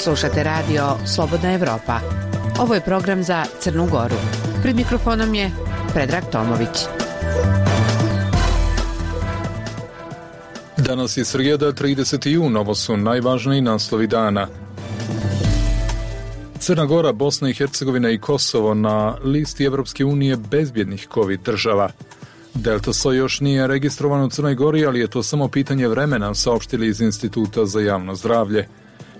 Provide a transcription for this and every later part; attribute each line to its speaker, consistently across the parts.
Speaker 1: Slušate radio Slobodna Evropa. Ovo je program za Crnu Goru. Pred mikrofonom je Predrag Tomović.
Speaker 2: Danas je srijeda, 30. jun, ovo su najvažniji naslovi dana. Crna Gora, Bosna i Hercegovina i Kosovo na listi Evropske unije bezbjednih COVID država. Delta soj još nije registrovan u Crnoj Gori, ali je to samo pitanje vremena, saopštili iz Instituta za javno zdravlje.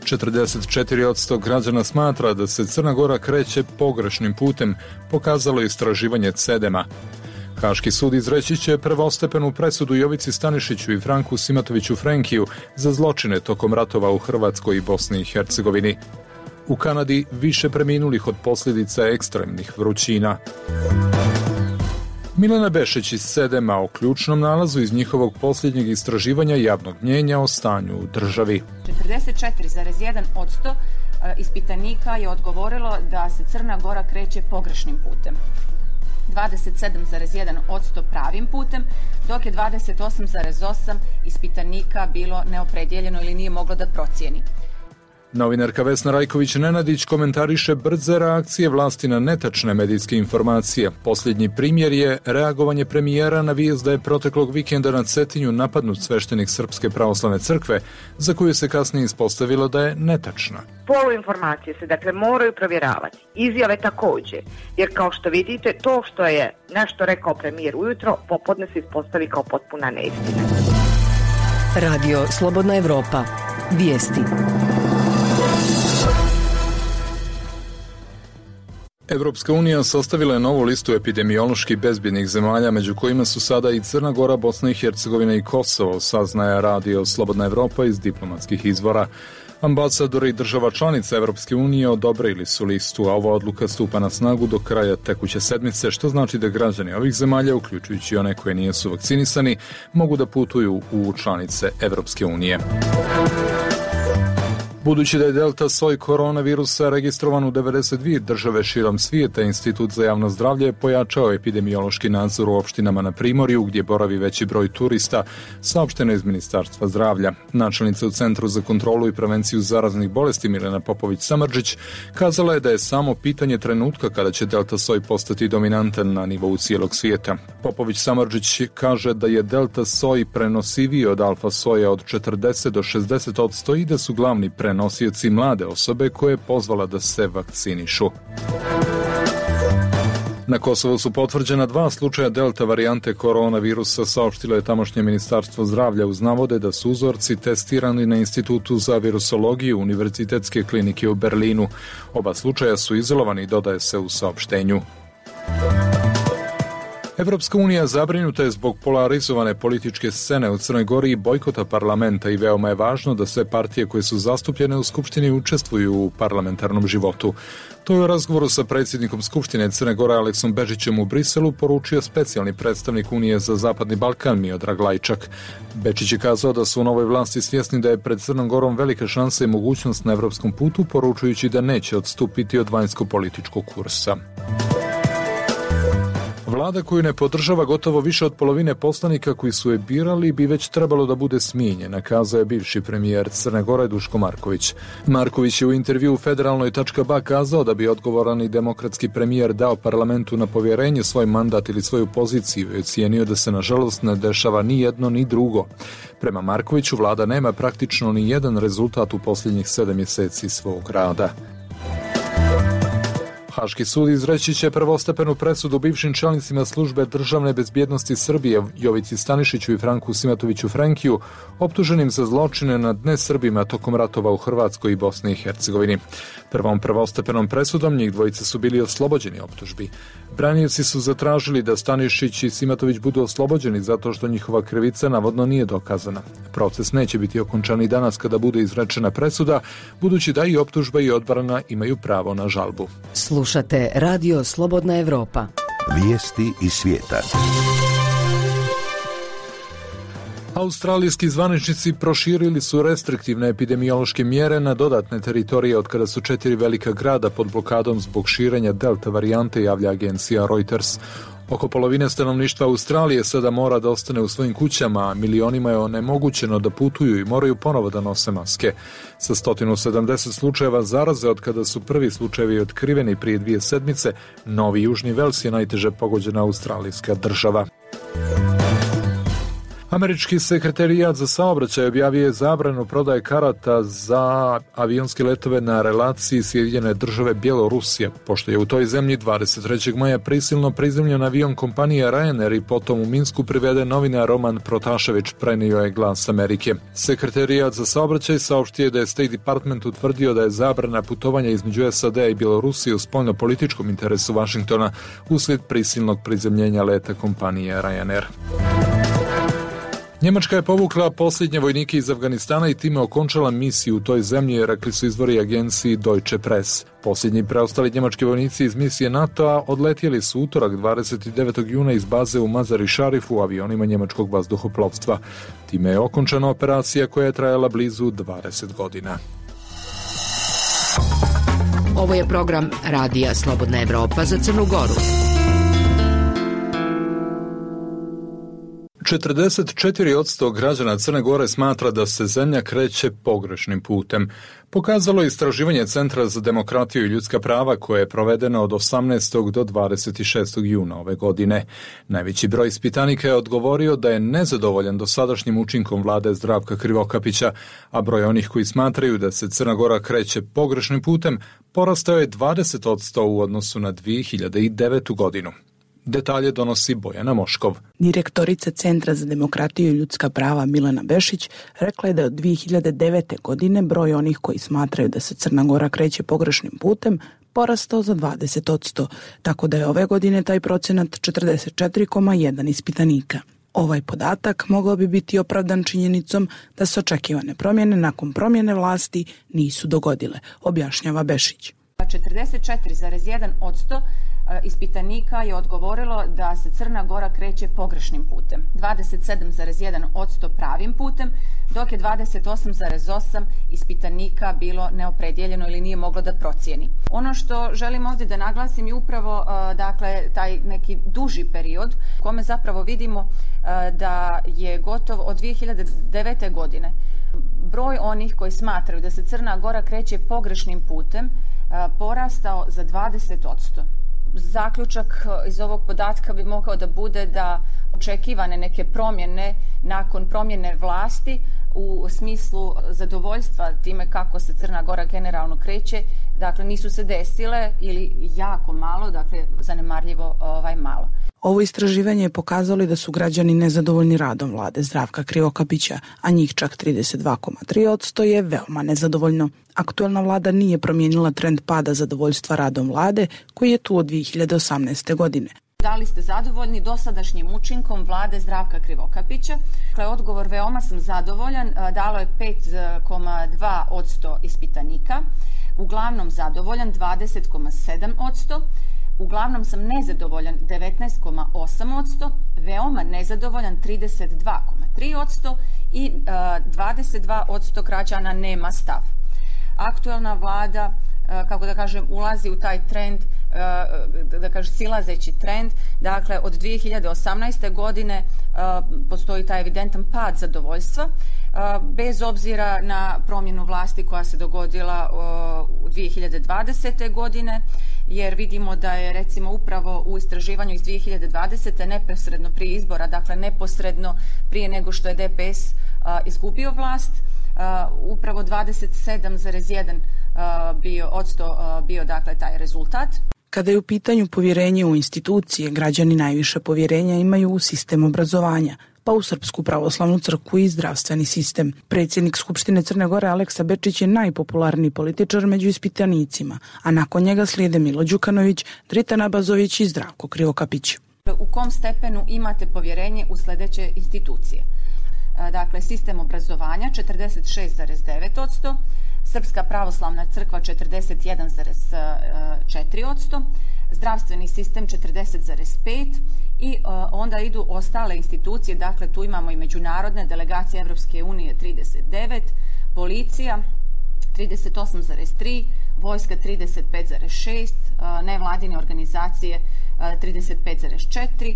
Speaker 2: 44% građana smatra da se Crna Gora kreće pogrešnim putem, pokazalo je istraživanje CEDEM-a. Haški sud izreći će prvostepenu presudu Jovici Stanišiću i Franku Simatoviću Frenkiju za zločine tokom ratova u Hrvatskoj i Bosni i Hercegovini. U Kanadi više preminulih od posljedica ekstremnih vrućina. Milena Bešić iz CEDEM-a o ključnom nalazu iz njihovog posljednjeg istraživanja javnog mnjenja o stanju u državi.
Speaker 3: 44,1% ispitanika je odgovorilo da se Crna Gora kreće pogrešnim putem. 27,1% pravim putem, dok je 28,8% ispitanika bilo neopredjeljeno ili nije moglo da procijeni.
Speaker 2: Novinarka Vesna Rajković-Nenadić komentariše brze reakcije vlasti na netačne medijske informacije. Posljednji primjer je reagovanje premijera na vijest da je proteklog vikenda na Cetinju napadnut sveštenik Srpske pravoslavne crkve, za koju se kasnije ispostavilo da je netačna.
Speaker 4: Poluinformacije se dakle moraju provjeravati, izjave također, jer kao što vidite to što je nešto rekao premijer ujutro, popodne se ispostavi kao potpuna neistina.
Speaker 5: Radio Slobodna Evropa. Vijesti.
Speaker 2: Evropska unija sastavila je novu listu epidemiološki bezbjednih zemalja, među kojima su sada i Crna Gora, Bosna i Hercegovina i Kosovo, saznaje radio Slobodna Evropa iz diplomatskih izvora. Ambasadori država članica Evropske unije odobrili su listu, a ova odluka stupa na snagu do kraja tekuće sedmice, što znači da građani ovih zemalja, uključujući one koje nisu vakcinisani, mogu da putuju u članice Evropske unije. Budući da je delta soj koronavirusa registrovan u 92 države širom svijeta, Institut za javno zdravlje je pojačao epidemiološki nadzor u opštinama na Primorju, gdje boravi veći broj turista, saopšteno iz Ministarstva zdravlja. Načelnica u Centru za kontrolu i prevenciju zaraznih bolesti Milena Popović-Samardžić kazala je da je samo pitanje trenutka kada će delta soj postati dominantan na nivou cijelog svijeta. Popović-Samardžić kaže da je delta soj prenosiviji od alfa soja od 40 do 60% i da su glavni prenosioci mlade osobe koje je pozvala da se vakcinišu. Na Kosovu su potvrđena 2 slučaja delta varijante koronavirusa, saopštilo je tamošnje Ministarstvo zdravlja uz navode da su uzorci testirani na Institutu za virusologiju Univerzitetske klinike u Berlinu. Oba slučaja su izolovani, dodaje se u saopštenju. Evropska unija zabrinuta je zbog polarizovane političke scene u Crnoj Gori i bojkota parlamenta i veoma je važno da sve partije koje su zastupljene u Skupštini učestvuju u parlamentarnom životu. To je u razgovoru sa predsjednikom Skupštine Crne Gore Aleksom Bečićem u Briselu poručio specijalni predstavnik Unije za Zapadni Balkan Miodrag Lajčak. Bečić je kazao da su u novoj vlasti svjesni da je pred Crnom Gorom velika šansa i mogućnost na evropskom putu, poručujući da neće odstupiti od vanjsko-političkog kursa. Vlada koju ne podržava gotovo više od polovine poslanika koji su je birali bi već trebalo da bude smijenjena, kazao je bivši premijer Crne Gore Duško Marković. Marković je u intervjuu Federalnoj.ba kazao da bi odgovoran i demokratski premijer dao parlamentu na povjerenje svoj mandat ili svoju poziciju i ocijenio da se nažalost ne dešava ni jedno ni drugo. Prema Markoviću vlada nema praktično ni jedan rezultat u posljednjih 7 mjeseci svog rada. Haški sud izreći će prvostepenu presudu bivšim čelnicima službe državne bezbjednosti Srbije Jovici Stanišiću i Franku Simatoviću Frenkiju, optuženim za zločine nad nesrbima tokom ratova u Hrvatskoj i Bosni i Hercegovini. Prvom prvostepenom presudom njih dvojice su bili oslobođeni optužbi. Branioci su zatražili da Stanišić i Simatović budu oslobođeni zato što njihova krivica navodno nije dokazana. Proces neće biti okončan i danas kada bude izrečena presuda, budući da i optužba i odbrana imaju pravo na žalbu.
Speaker 5: Slušate Radio Slobodna Evropa.
Speaker 6: Vijesti iz svijeta.
Speaker 2: Australijski zvaničnici proširili su restriktivne epidemiološke mjere na dodatne teritorije od kada su 4 velika grada pod blokadom zbog širenja delta varijante, javlja agencija Reuters. Oko polovine stanovništva Australije sada mora da ostane u svojim kućama, a milionima je onemogućeno da putuju i moraju ponovo da nose maske. Sa 170 slučajeva zaraze od kada su prvi slučajevi otkriveni prije 2 sedmice, Novi Južni Vels je najteže pogođena australijska država. Američki sekretarijat za saobraćaj objavio je zabranu prodaje karata za avionske letove na relaciji Sjedinjene Države Bjelorusija, pošto je u toj zemlji 23. maja prisilno prizemljen avion kompanije Ryanair i potom u Minsku priveden novinar Roman Protašević, prenio je Glas Amerike. Sekretarijat za saobraćaj saopštio da je State Department utvrdio da je zabrana putovanja između SAD-a i Bjelorusije u spoljno-političkom interesu Vašingtona uslijed prisilnog prizemljenja leta kompanije Ryanair. Njemačka je povukla posljednje vojnike iz Afganistana i time okončala misiju u toj zemlji, rekli su izvori agenciji Deutsche Press. Posljednji preostali njemački vojnici iz misije NATO-a odletjeli su utorak 29. juna iz baze u Mazar-i Šarifu u avionima njemačkog vazduhoplovstva. Time je okončana operacija koja je trajala blizu 20 godina.
Speaker 5: Ovo je program Radija Slobodna Evropa za Crnu Goru.
Speaker 2: 44% građana Crne Gore smatra da se zemlja kreće pogrešnim putem. Pokazalo je istraživanje Centra za demokratiju i ljudska prava koje je provedeno od 18. do 26. juna ove godine. Najveći broj ispitanika je odgovorio da je nezadovoljan dosadašnjim učinkom vlade Zdravka Krivokapića, a broj onih koji smatraju da se Crna Gora kreće pogrešnim putem porastao je 20% u odnosu na 2009. godinu. Detalje donosi Bojana Moškov.
Speaker 7: Direktorica Centra za demokratiju i ljudska prava Milena Bešić rekla je da je od 2009. godine broj onih koji smatraju da se Crna Gora kreće pogrešnim putem porastao za 20%, tako da je ove godine taj procenat 44,1 ispitanika. Ovaj podatak mogao bi biti opravdan činjenicom da se očekivane promjene nakon promjene vlasti nisu dogodile, objašnjava Bešić.
Speaker 3: 44,1% ispitanika je odgovorilo da se Crna Gora kreće pogrešnim putem, 27,1% pravim putem, dok je 28,8% ispitanika bilo neopredjeljeno ili nije moglo da procijeni. Ono što želim ovdje da naglasim je upravo taj neki duži period u kome zapravo vidimo da je gotovo od 2009. godine broj onih koji smatraju da se Crna Gora kreće pogrešnim putem porastao za 20%. Zaključak iz ovog podatka bi mogao da bude da očekivane neke promjene nakon promjene vlasti u smislu zadovoljstva time kako se Crna Gora generalno kreće, dakle nisu se desile ili jako malo, dakle zanemarljivo malo.
Speaker 7: Ovo istraživanje je pokazalo da su građani nezadovoljni radom vlade Zdravka Krivokapića, a njih čak 32,3% je veoma nezadovoljno. Aktuelna vlada nije promijenila trend pada zadovoljstva radom vlade koji je tu od 2018. godine.
Speaker 3: Da li ste zadovoljni dosadašnjim učinkom vlade Zdravka Krivokapića? Dakle, odgovor veoma sam zadovoljan, dalo je 5,2% ispitanika, uglavnom zadovoljan 20,7%, uglavnom sam nezadovoljan 19,8%, veoma nezadovoljan 32,3% i 22% građana nema stav. Aktuelna vlada, kako da kažem, ulazi u taj trend, da kažem silazeći trend, dakle od 2018. godine postoji taj evidentan pad zadovoljstva, bez obzira na promjenu vlasti koja se dogodila u 2020. godine, jer vidimo da je recimo upravo u istraživanju iz 2020. neposredno prije izbora, dakle neposredno prije nego što je DPS izgubio vlast, upravo 27,1% bio dakle taj rezultat.
Speaker 7: Kada je u pitanju povjerenje u institucije, građani najviše povjerenja imaju u sistem obrazovanja, pa u Srpsku pravoslavnu crkvu i zdravstveni sistem. Predsjednik Skupštine Crne Gore Aleksa Bečić je najpopularniji političar među ispitanicima, a nakon njega slijede Milo Đukanović, Dritan Abazović i Zdravko Krivokapić.
Speaker 3: U kom stepenu imate povjerenje u sljedeće institucije? Dakle, sistem obrazovanja 46,9%, Srpska pravoslavna crkva 41,4%, zdravstveni sistem 40,5% i onda idu ostale institucije, dakle tu imamo i međunarodne delegacije Evropske unije 39%, policija 38,3%, vojska 35,6%, nevladine organizacije 35,4%,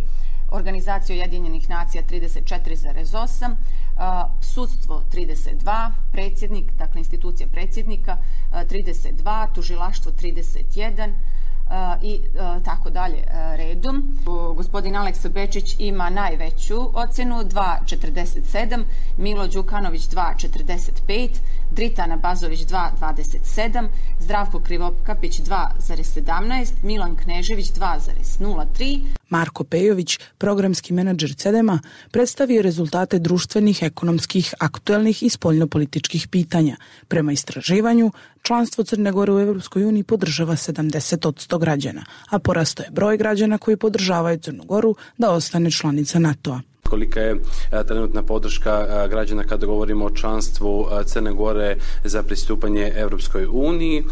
Speaker 3: Organizacija Ujedinjenih nacija 34,8%, sudstvo 32%, predsjednik, dakle institucija predsjednika 32%, tužilaštvo 31%, i tako dalje redom. Gospodin Aleksa Bečić ima najveću ocjenu 2,47, Milo Đukanović 2,45, Dritana Bazović 2,27, Zdravko Krivokapić 2,17, Milan Knežević 2,03.
Speaker 7: Marko Pejović, programski menadžer CEDEM-a, predstavio rezultate društvenih, ekonomskih, aktuelnih i spoljnopolitičkih pitanja. Prema istraživanju, članstvo Crne Gore u Evropskoj uniji podržava 70% građana, a porastao je broj građana koji podržavaju Crnu Goru da ostane članica NATO-a.
Speaker 8: Kolika je trenutna podrška građana kada govorimo o članstvu Crne Gore za pristupanje Europskoj uniji.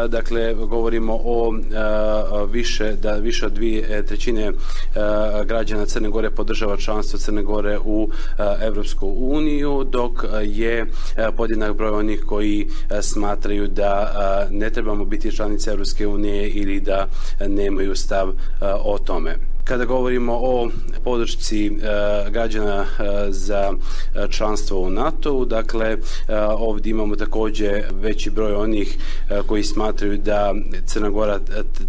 Speaker 8: Dakle, govorimo o više od 2/3 građana Crne Gore podržava članstvo Crne Gore u Europsku uniju, dok je podjednak broj onih koji smatraju da ne trebamo biti članica Europske unije ili da nemaju stav o tome. Kada govorimo o podršci građana za članstvo u NATO-u, dakle ovdje imamo također veći broj onih koji smatraju da Crna Gora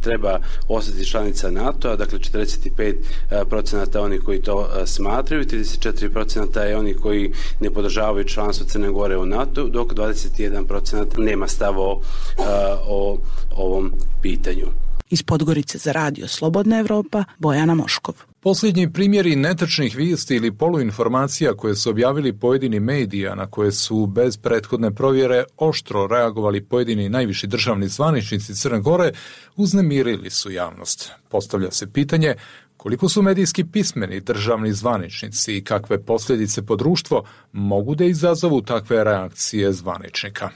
Speaker 8: treba ostati članica NATO-a, dakle 45% onih koji to smatraju, 34% je onih koji ne podržavaju članstvo Crne Gore u NATO, dok 21% nema stav o ovom pitanju.
Speaker 7: Iz Podgorice za radio Slobodna Evropa, Bojana Moškov.
Speaker 2: Posljednji primjeri netačnih vijesti ili poluinformacija koje su objavili pojedini medija na koje su bez prethodne provjere oštro reagovali pojedini najviši državni zvaničnici Crne Gore uznemirili su javnost. Postavlja se pitanje koliko su medijski pismeni državni zvaničnici i kakve posljedice po društvo mogu da izazovu takve reakcije zvaničnika.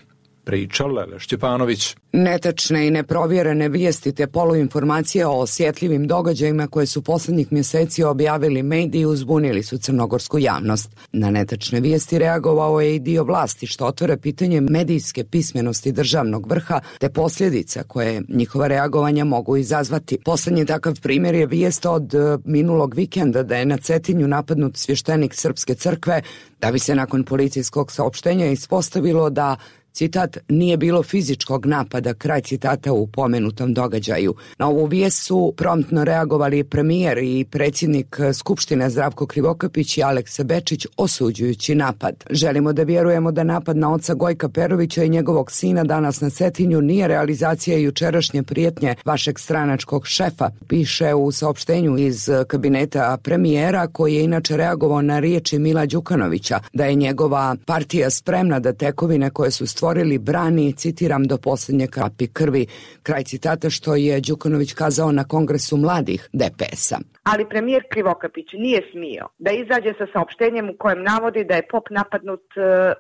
Speaker 2: Priča Lele Šćepanović.
Speaker 9: Netačne i neprovjerene vijesti te poluinformacije o osjetljivim događajima koje su posljednjih mjeseci objavili mediji uzbunili su crnogorsku javnost. Na netačne vijesti reagovao je i dio vlasti, što otvara pitanje medijske pismenosti državnog vrha te posljedica koje njihova reagovanja mogu izazvati. Posljednji takav primjer je vijest od minulog vikenda da je na Cetinju napadnut svještenik Srpske crkve, da bi se nakon policijskog saopštenja ispostavilo da, citat, nije bilo fizičkog napada, kraj citata, u pomenutom događaju. Na ovu vijest su promptno reagovali premijer i predsjednik Skupštine Zdravko Krivokapić i Aleksa Bečić osuđujući napad. Želimo da vjerujemo da napad na oca Gojka Perovića i njegovog sina danas na Cetinju nije realizacija jučerašnje prijetnje vašeg stranačkog šefa, piše u saopštenju iz kabineta premijera, koji je inače reagovao na riječi Mila Đukanovića da je njegova partija spremna da tekovine koje su stvorili brani, citiram, do posljednje kapi krvi, kraj citata, što je Đukanović kazao na kongresu mladih DPS-a.
Speaker 4: Ali premijer Krivokapić nije smio da izađe sa saopštenjem u kojem navodi da je pop napadnut,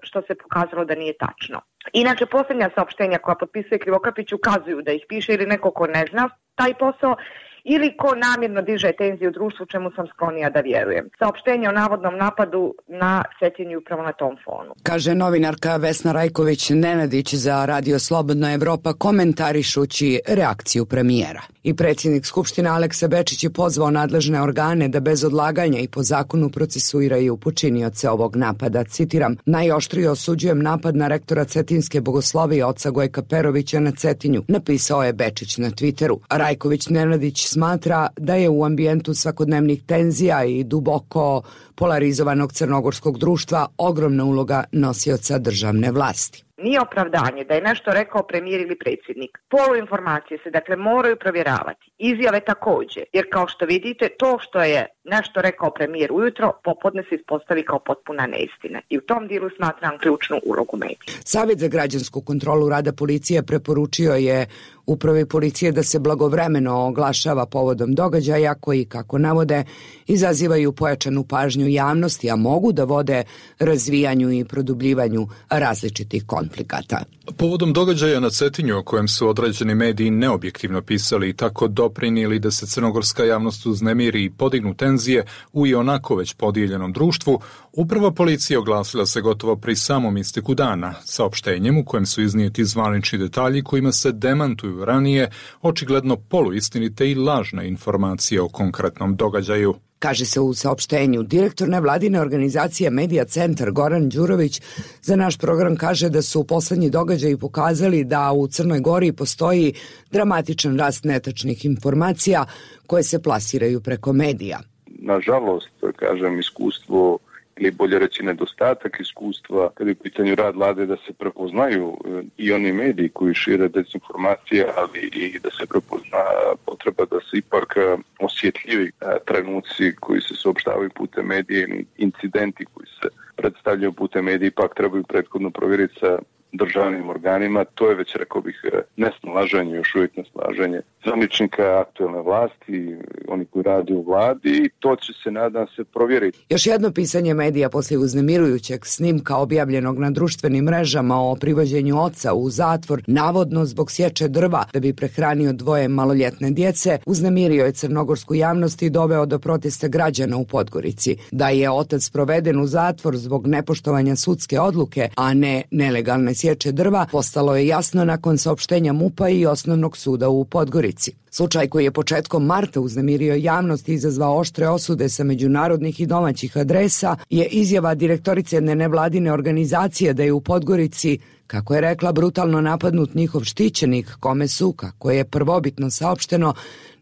Speaker 4: što se pokazalo da nije tačno. Inače, posljednja saopštenja koja potpisuje Krivokapić ukazuju da ih piše ili neko ko ne zna taj posao, ili ko namjerno diže tenziju u društvu, čemu sam sklonija da vjerujem. Saopštenje o navodnom napadu na Cetinju upravo na tom fonu.
Speaker 9: Kaže novinarka Vesna Rajković-Nenadić za radio Slobodna Evropa komentarišući reakciju premijera. I predsjednik Skupštine Aleksa Bečić je pozvao nadležne organe da bez odlaganja i po zakonu procesuiraju počinioce ovog napada. Citiram, najoštrije osuđujem napad na rektora Cetinske bogoslovije oca Gojka Perovića na Cetinju, napisao je Bečić na Twitteru. Rajković-Nenadić smatra da je u ambijentu svakodnevnih tenzija i duboko polarizovanog crnogorskog društva ogromna uloga nosioca državne vlasti.
Speaker 4: Nije opravdanje da je nešto rekao premijer ili predsjednik. Poluinformacije se dakle moraju provjeravati. Izjave također, jer kao što vidite, to što je nešto rekao premijer ujutro, popodne se ispostavi kao potpuna neistina. I u tom dijelu smatram ključnu ulogu medija.
Speaker 9: Savjet za građansku kontrolu rada policije preporučio je upravi policije da se blagovremeno oglašava povodom događaja koji, kako navode, izazivaju pojačanu pažnju javnosti, a mogu da vode razvijanju i produbljivanju različitih konflikta. konflikata.
Speaker 2: Povodom događaja na Cetinju o kojem su određeni mediji neobjektivno pisali i tako doprinijeli da se crnogorska javnost uznemiri i podignu tenzije u i onako već podijeljenom društvu, uprava policije oglasila se gotovo pri samom isteku dana, saopštenjem u kojem su iznijeti zvanični detalji kojima se demantuju ranije očigledno poluistinite i lažne informacije o konkretnom događaju.
Speaker 9: Kaže se u saopštenju, direktor nevladine organizacije Medija Centar Goran Đurović za naš program kaže da su poslednji događaji pokazali da u Crnoj Gori postoji dramatičan rast netačnih informacija koje se plasiraju preko medija.
Speaker 10: Nažalost, kažem, iskustvo ili bolje reći nedostatak iskustva kada je u pitanju rad vlade da se prepoznaju i oni mediji koji šire dezinformacije, ali i da se prepozna potreba da se ipak osjetljivi trenuci koji se saopštavaju putem medija ili incidenti koji se predstavljaju putem medija ipak trebaju prethodno provjeriti sa državnim organima. To je već, rekao bih, nesnalaženje, još uvijek nesnalaženje zvaničnika aktuelne vlasti, oni koji radi u vladi, i to će se, nadam se, provjeriti.
Speaker 9: Još jedno pisanje medija poslije uznemirujućeg snimka objavljenog na društvenim mrežama o privođenju oca u zatvor, navodno zbog sječe drva da bi prehranio 2 maloljetne djece, uznemirio je crnogorsku javnost i doveo do protesta građana u Podgorici. Da je otac proveden u zatvor zbog nepoštovanja sudske odluke, a ne nelegalne sječe drva, postalo je jasno nakon saopštenja MUP-a i Osnovnog suda u Podgorici. Slučaj koji je početkom marta uznemirio javnost i izazvao oštre osude sa međunarodnih i domaćih adresa je izjava direktorice jedne nevladine organizacije da je u Podgorici, kako je rekla, brutalno napadnut njihov štićenik kome su, kako je prvobitno saopšteno,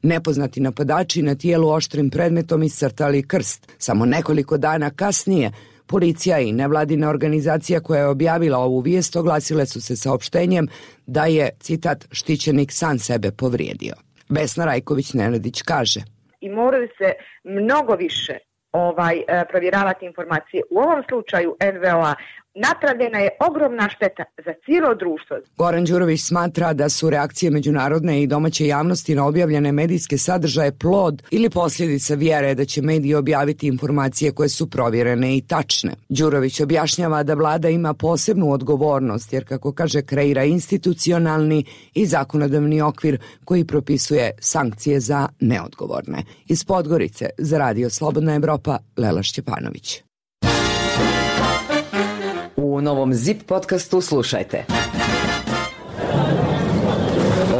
Speaker 9: nepoznati napadači na tijelu oštrim predmetom iscrtali krst. Samo nekoliko dana kasnije policija i nevladina organizacija koja je objavila ovu vijest oglasile su se saopštenjem da je, citat, štićenik sam sebe povrijedio. Vesna Rajković-Nenadić kaže:
Speaker 4: I moraju se mnogo više provjeravati informacije. U ovom slučaju NVO-a napravljena je ogromna šteta za cijelo društvo.
Speaker 9: Goran Đurović smatra da su reakcije međunarodne i domaće javnosti na objavljene medijske sadržaje plod ili posljedica vjere da će mediji objaviti informacije koje su provjerene i tačne. Đurović objašnjava da vlada ima posebnu odgovornost jer, kako kaže, kreira institucionalni i zakonodavni okvir koji propisuje sankcije za neodgovorne. Iz Podgorice za Radio Slobodna Evropa, Lela Šćepanović.
Speaker 11: U novom ZIP podcastu slušajte.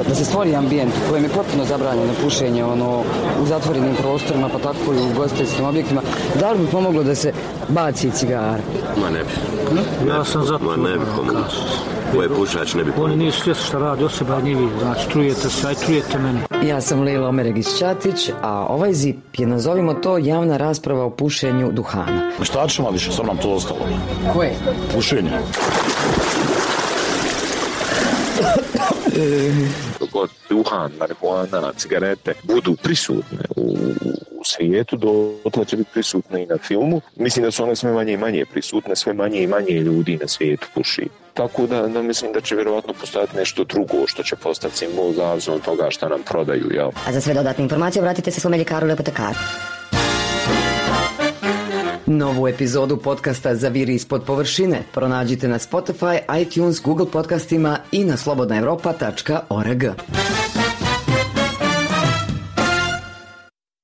Speaker 11: Da se stvori ambijent u kojem je potpuno zabranjeno pušenje u zatvorenim prostorima, pa tako i u ugostiteljskim objektima, da li bi pomoglo da se baci cigara?
Speaker 12: Ma ne bi.
Speaker 13: Ja sam za to.
Speaker 12: Ma ne bi pomoglo. Ko je pušač ne bi pomoglo.
Speaker 13: Oni nisu svjesni šta radi, osoba je njivi. Znači, trujete se, aj trujete meni.
Speaker 11: Ja sam Lila Omeregić-Ćatić, a ovaj ZIP je, nazovimo to, javna rasprava o pušenju duhana.
Speaker 14: Šta ćemo više, sam nam to ostalo.
Speaker 11: Koje?
Speaker 14: Pušenje.
Speaker 12: Dok duhan, marihuana, cigarete budu prisutne u svijetu, dotle će biti prisutne i na filmu. Mislim da su one sve manje i manje prisutne, sve manje i manje ljudi na svijetu puši. Tako da mislim da će vjerovatno postojati nešto drugo što će postati simbol zavisno od toga šta nam prodaju. Jel?
Speaker 15: A za sve dodatne informacije obratite se svome ljekaru ili apotekaru.
Speaker 11: Novu epizodu podcasta Zaviri ispod površine pronađite na Spotify, iTunes, Google podcastima i na slobodnaevropa.org.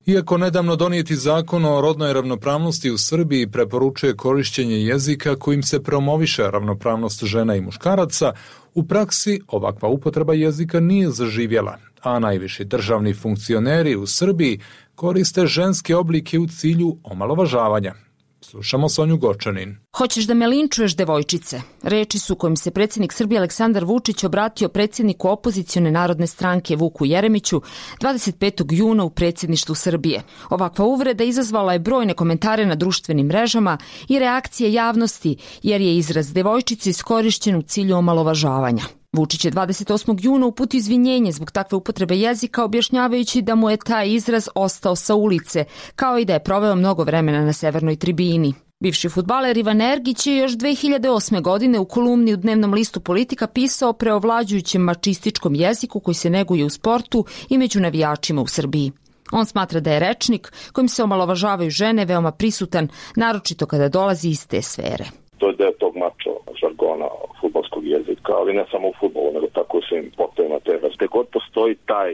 Speaker 2: Iako nedavno donijeti zakon o rodnoj ravnopravnosti u Srbiji preporučuje korišćenje jezika kojim se promoviše ravnopravnost žena i muškaraca, u praksi ovakva upotreba jezika nije zaživjela, a najviši državni funkcioneri u Srbiji koriste ženske oblike u cilju omalovažavanja. Slušamo Sonju Gočanin.
Speaker 16: Hoćeš da me linčuješ, devojčice? Reči su kojim se predsjednik Srbije Aleksandar Vučić obratio predsjedniku opozicione narodne stranke Vuku Jeremiću 25. juna u predsjedništvu Srbije. Ovakva uvreda izazvala je brojne komentare na društvenim mrežama i reakcije javnosti, jer je izraz devojčice iskorišćen u cilju omalovažavanja. Vučić je 28. juna uputio izvinjenje zbog takve upotrebe jezika, objašnjavajući da mu je taj izraz ostao sa ulice, kao i da je proveo mnogo vremena na severnoj tribini. Bivši fudbaler Ivan Ergić je još 2008. godine u kolumni u dnevnom listu Politika pisao o preovlađujućem mačističkom jeziku koji se neguje u sportu i među navijačima u Srbiji. On smatra da je rečnik kojim se omalovažavaju žene veoma prisutan, naročito kada dolazi iz te sfere.
Speaker 10: To je deo tog mačo
Speaker 17: žargona fudbalskog jezika, ali ne samo u fudbalu, nego tako u svim sportovima te vrste. Gde god postoji taj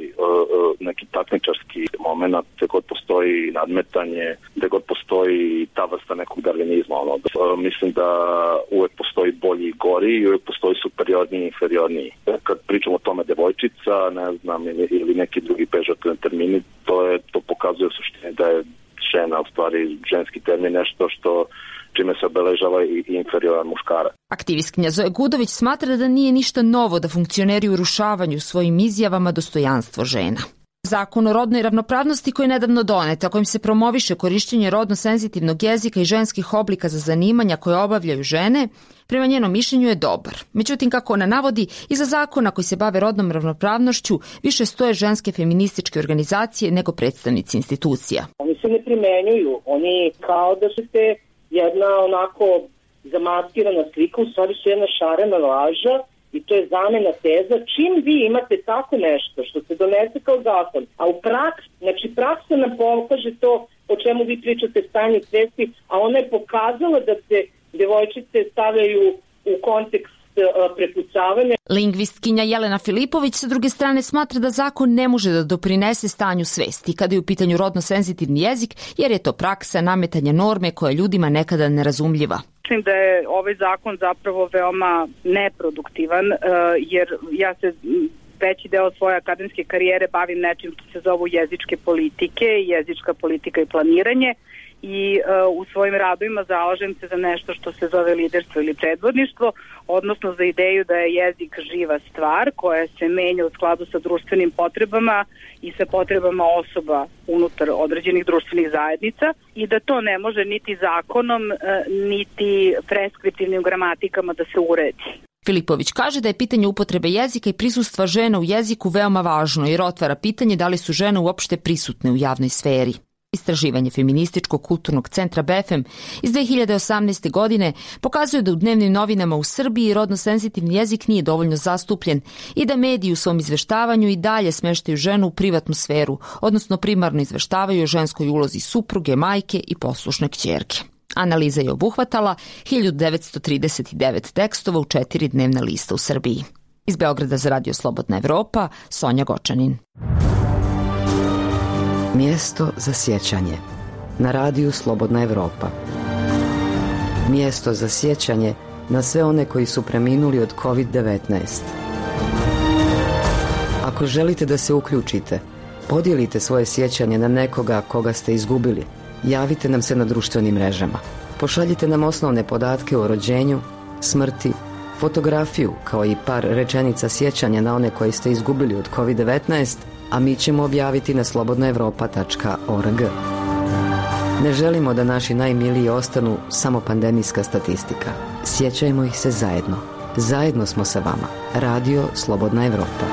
Speaker 17: neki takmičarski moment, gde god postoji nadmetanje, gde god postoji ta vrsta nekog darvinizma, mislim da uvek postoji bolji i gori i uvek postoji superiorniji i inferiorniji. Kad pričamo o tome devojčica, ne znam, ili neki drugi pežorativni termini, to pokazuje u suštini da je žena, u stvari ženski termin, nešto čime se obeležava i inferioran muškarac.
Speaker 16: Aktivistkinja Zoja Gudović smatra da nije ništa novo da funkcioneri urušavaju svojim izjavama dostojanstvo žena. Zakon o rodnoj ravnopravnosti koji je nedavno donet, a kojim se promoviše korišćenje rodno senzitivnog jezika i ženskih oblika za zanimanja koje obavljaju žene, prema njenom mišljenju je dobar. Međutim, kako ona navodi, iza zakona koji se bave rodnom ravnopravnošću više stoje ženske feminističke organizacije nego predstavnici institucija.
Speaker 18: Oni se ne primenjuju, oni kao da su te jedna onako zamaskirana slika, u stvari su jedna šarena laža i to je zamena teza. Čim vi imate tako nešto što se donese kao zakon, a u praksa nam pokaže to o čemu vi pričate stanje svesti, a ona je pokazala da se devojčice stavljaju u kontekst prepucavanja.
Speaker 16: Lingvistkinja Jelena Filipović sa druge strane smatra da zakon ne može da doprinese stanju svesti kada je u pitanju rodno senzitivni jezik, jer je to praksa nametanja norme koja je ljudima nekada nerazumljiva.
Speaker 19: Mislim da je ovaj zakon zapravo veoma neproduktivan, jer ja se veći deo svoje akademske karijere bavim nečim što se zovu jezičke politike, jezička politika i planiranje. I u svojim radovima zalažem se za nešto što se zove liderstvo ili predvodništvo, odnosno za ideju da je jezik živa stvar koja se menja u skladu sa društvenim potrebama i sa potrebama osoba unutar određenih društvenih zajednica i da to ne može niti zakonom, niti preskriptivnim gramatikama da se uredi.
Speaker 16: Filipović kaže da je pitanje upotrebe jezika i prisustva žena u jeziku veoma važno jer otvara pitanje da li su žene uopšte prisutne u javnoj sferi. Istraživanje Feminističkog kulturnog centra BFM iz 2018. godine pokazuje da u dnevnim novinama u Srbiji rodno senzitivni jezik nije dovoljno zastupljen i da mediji u svom izveštavanju i dalje smeštaju ženu u privatnu sferu, odnosno primarno izveštavaju o ženskoj ulozi supruge, majke i poslušne kćerke. Analiza je obuhvatala 1939 tekstova u 4 dnevna lista u Srbiji. Iz Beograda za Radio Slobodna Evropa, Sonja Gočanin.
Speaker 20: Mjesto za sjećanje na radiju Slobodna Evropa. Mjesto za sjećanje na sve one koji su preminuli od COVID-19. Ako želite da se uključite, podijelite svoje sjećanje na nekoga koga ste izgubili. Javite nam se na društvenim mrežama. Pošaljite nam osnovne podatke o rođenju, smrti, fotografiju kao i par rečenica sjećanja na one koji ste izgubili od COVID-19, a mi ćemo objaviti na slobodnaevropa.org. Ne želimo da naši najmiliji ostanu samo pandemijska statistika. Sjećajmo ih se zajedno. Zajedno smo sa vama. Radio Slobodna Evropa.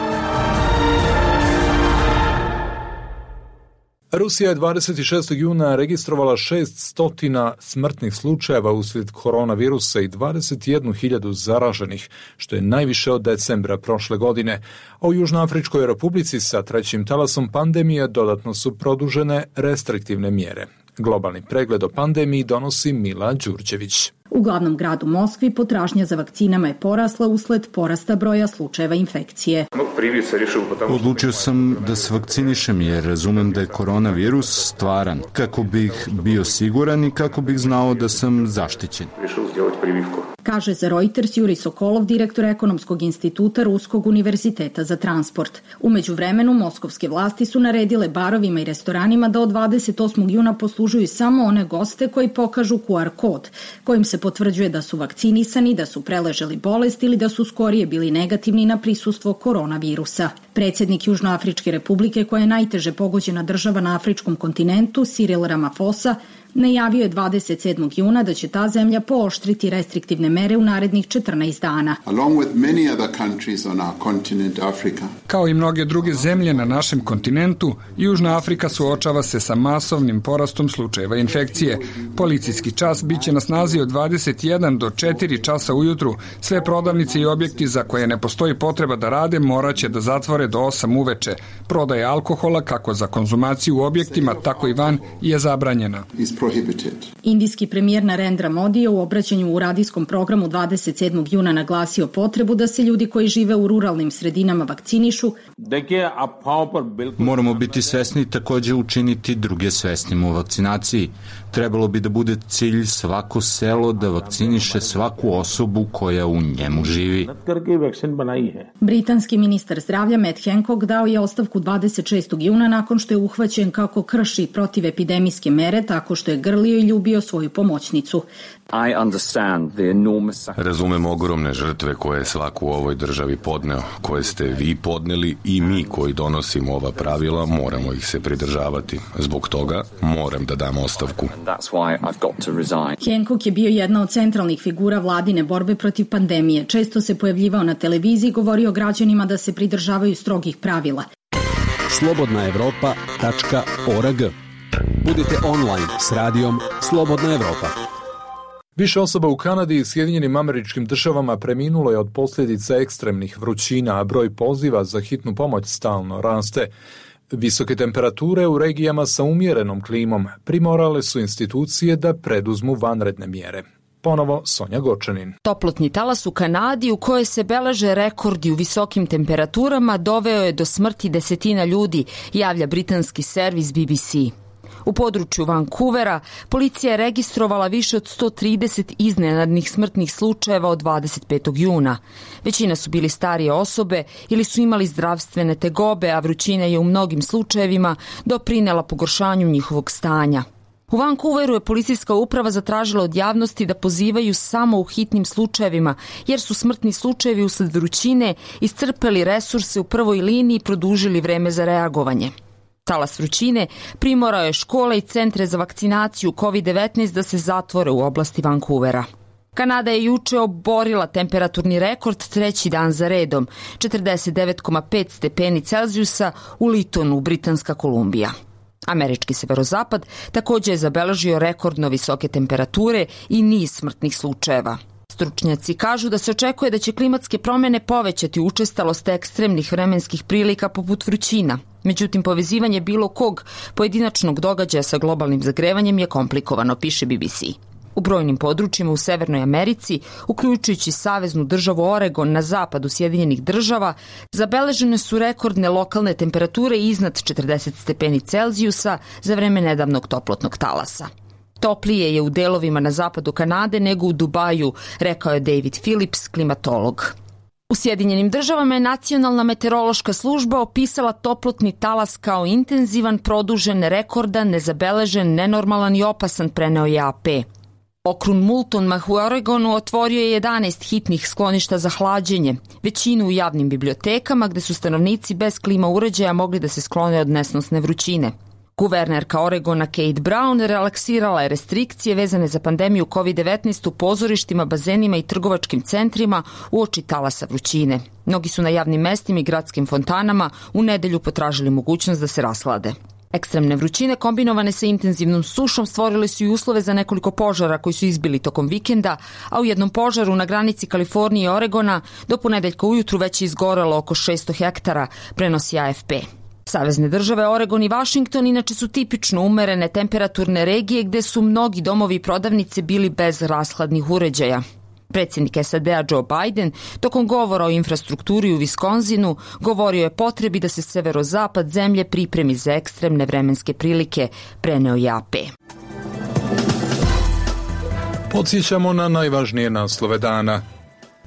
Speaker 2: Rusija je 26. juna registrovala 600 smrtnih slučajeva uslijed koronavirusa i 21.000 zaraženih, što je najviše od decembra prošle godine. A u Južnoafričkoj Republici sa trećim talasom pandemije dodatno su produžene restriktivne mjere. Globalni pregled o pandemiji donosi Mila Đurđević.
Speaker 21: U glavnom gradu Moskvi potražnja za vakcinama je porasla usled porasta broja slučajeva infekcije.
Speaker 22: Odlučio sam da se vakcinišem jer razumem da je koronavirus stvaran, kako bih bio siguran i kako bih znao da sam zaštićen.
Speaker 21: Kaže za Reuters Juri Sokolov, direktor Ekonomskog instituta Ruskog univerziteta za transport. U međuvremenu moskovske vlasti su naredile barovima i restoranima da od 28. juna poslužuju samo one goste koji pokažu QR kod, kojim se potvrđuje da su vakcinisani, da su preležali bolest ili da su skorije bili negativni na prisustvo koronavirusa. Predsjednik Južnoafričke republike, koja je najteže pogođena država na afričkom kontinentu, Cyril Ramaphosa, najavio je 27. juna da će ta zemlja pooštriti restriktivne mere u narednih 14 dana.
Speaker 23: Kao i mnoge druge zemlje na našem kontinentu, Južna Afrika suočava se sa masovnim porastom slučajeva infekcije. Policijski čas biće na snazi od 21 do 4 časa ujutru. Sve prodavnice i objekti za koje ne postoji potreba da rade moraće da zatvore do 8 uveče. Prodaja alkohola, kako za konzumaciju u objektima, tako i van, je zabranjena.
Speaker 21: Indijski premijer Narendra Modi je u obraćanju u radijskom programu 27. juna naglasio potrebu da se ljudi koji žive u ruralnim sredinama vakcinišu.
Speaker 22: Moramo biti svesni, takođe učiniti druge svesnim u vakcinaciji. Trebalo bi da bude cilj svako selo da vakciniše svaku osobu koja u njemu živi.
Speaker 21: Britanski ministar zdravlja Matt Hancock dao je ostavku 26. juna nakon što je uhvaćen kako krši protivepidemijske mere tako što je grlio i ljubio svoju pomoćnicu.
Speaker 1: Razumem ogromne žrtve koje je svako u ovoj državi podneo, koje ste vi podneli i mi koji donosimo ova pravila moramo ih se pridržavati. Zbog toga moram da dam ostavku.
Speaker 21: Hancock je bio jedna od centralnih figura vladine borbe protiv pandemije. Često se pojavljivao na televiziji i govorio građanima da se pridržavaju strogih pravila.
Speaker 5: slobodnaevropa.org. Budite online s radijom Slobodna Evropa.
Speaker 2: Više osoba u Kanadi i Sjedinjenim Američkim Državama preminulo je od posljedica ekstremnih vrućina, a broj poziva za hitnu pomoć stalno raste. Visoke temperature u regijama sa umjerenom klimom primorale su institucije da preduzmu vanredne mjere. Ponovo Sonja Gočanin.
Speaker 16: Toplotni talas u Kanadi u kojoj se beleže rekordi u visokim temperaturama doveo je do smrti desetina ljudi, javlja britanski servis BBC. U području Vancouvera policija je registrovala više od 130 iznenadnih smrtnih slučajeva od 25. juna. Većina su bili starije osobe ili su imali zdravstvene tegobe, a vrućina je u mnogim slučajevima doprinela pogoršanju njihovog stanja. U Vancouveru je policijska uprava zatražila od javnosti da pozivaju samo u hitnim slučajevima, jer su smrtni slučajevi usled vrućine iscrpeli resurse u prvoj liniji i produžili vreme za reagovanje. Talas vrućine primorao je škole i centre za vakcinaciju COVID-19 da se zatvore u oblasti Vancouvera. Kanada je juče oborila temperaturni rekord treći dan za redom, 49,5 stepeni Celzijusa u Litonu, Britanska Kolumbija. Američki severozapad također je zabeležio rekordno visoke temperature i niz smrtnih slučajeva. Stručnjaci kažu da se očekuje da će klimatske promjene povećati učestalost ekstremnih vremenskih prilika poput vrućina. Međutim, povezivanje bilo kog pojedinačnog događaja sa globalnim zagrevanjem je komplikovano, piše BBC. U brojnim područjima u Severnoj Americi, uključujući saveznu državu Oregon na zapadu Sjedinjenih Država, zabeležene su rekordne lokalne temperature iznad 40 stepeni Celzijusa za vreme nedavnog toplotnog talasa. Toplije je u delovima na zapadu Kanade nego u Dubaju, rekao je David Phillips, klimatolog. U Sjedinjenim Državama je Nacionalna meteorološka služba opisala toplotni talas kao intenzivan, produžen, rekordan, nezabeležen, nenormalan i opasan, preneo je AP. Okrug Multnomah u Oregonu otvorio je 11 hitnih skloništa za hlađenje, većinu u javnim bibliotekama gde su stanovnici bez klima uređaja mogli da se sklone od nesnosne vrućine. Guvernerka Oregona Kate Brown relaksirala je restrikcije vezane za pandemiju COVID-19 u pozorištima, bazenima i trgovačkim centrima uoči talasa vrućine. Mnogi su na javnim mestima i gradskim fontanama u nedelju potražili mogućnost da se rashlade. Ekstremne vrućine kombinovane sa intenzivnom sušom stvorile su i uslove za nekoliko požara koji su izbili tokom vikenda, a u jednom požaru na granici Kalifornije i Oregona do ponedeljka ujutru već je izgorelo oko 600 hektara, prenosi AFP. Savezne države Oregon i Washington inače su tipično umerene temperaturne regije gde su mnogi domovi i prodavnice bili bez rashladnih uređaja. Predsjednik SAD-a Joe Biden tokom govora o infrastrukturi u Wisconsinu govorio je potrebi da se severozapad zemlje pripremi za ekstremne vremenske prilike, preneo je AP.
Speaker 2: Podsjećamo na najvažnije naslove dana.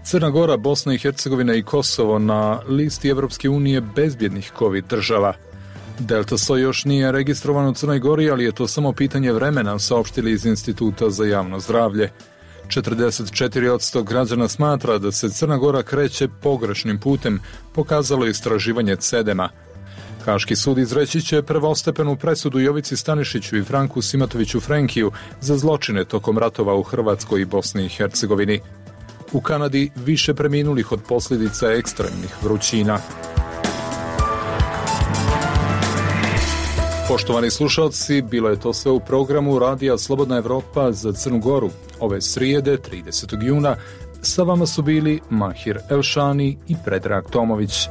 Speaker 2: Crna Gora, Bosna i Hercegovina i Kosovo na listi Evropske unije bezbjednih COVID država. Delta soj još nije registrovan u Crnoj Gori, ali je to samo pitanje vremena, saopštili iz Instituta za javno zdravlje. 44% građana smatra da se Crna Gora kreće pogrešnim putem, pokazalo istraživanje CEDEM-a. Haški sud izreći će prvostepenu presudu Jovici Stanišiću i Franku Simatoviću Frenkiju za zločine tokom ratova u Hrvatskoj i Bosni i Hercegovini. U Kanadi više preminulih od posljedica ekstremnih vrućina. Poštovani slušalci, bilo je to sve u programu Radija Slobodna Evropa za Crnu Goru. Ove srijede, 30. juna, sa vama su bili Mahir Elšani i Predrag Tomović.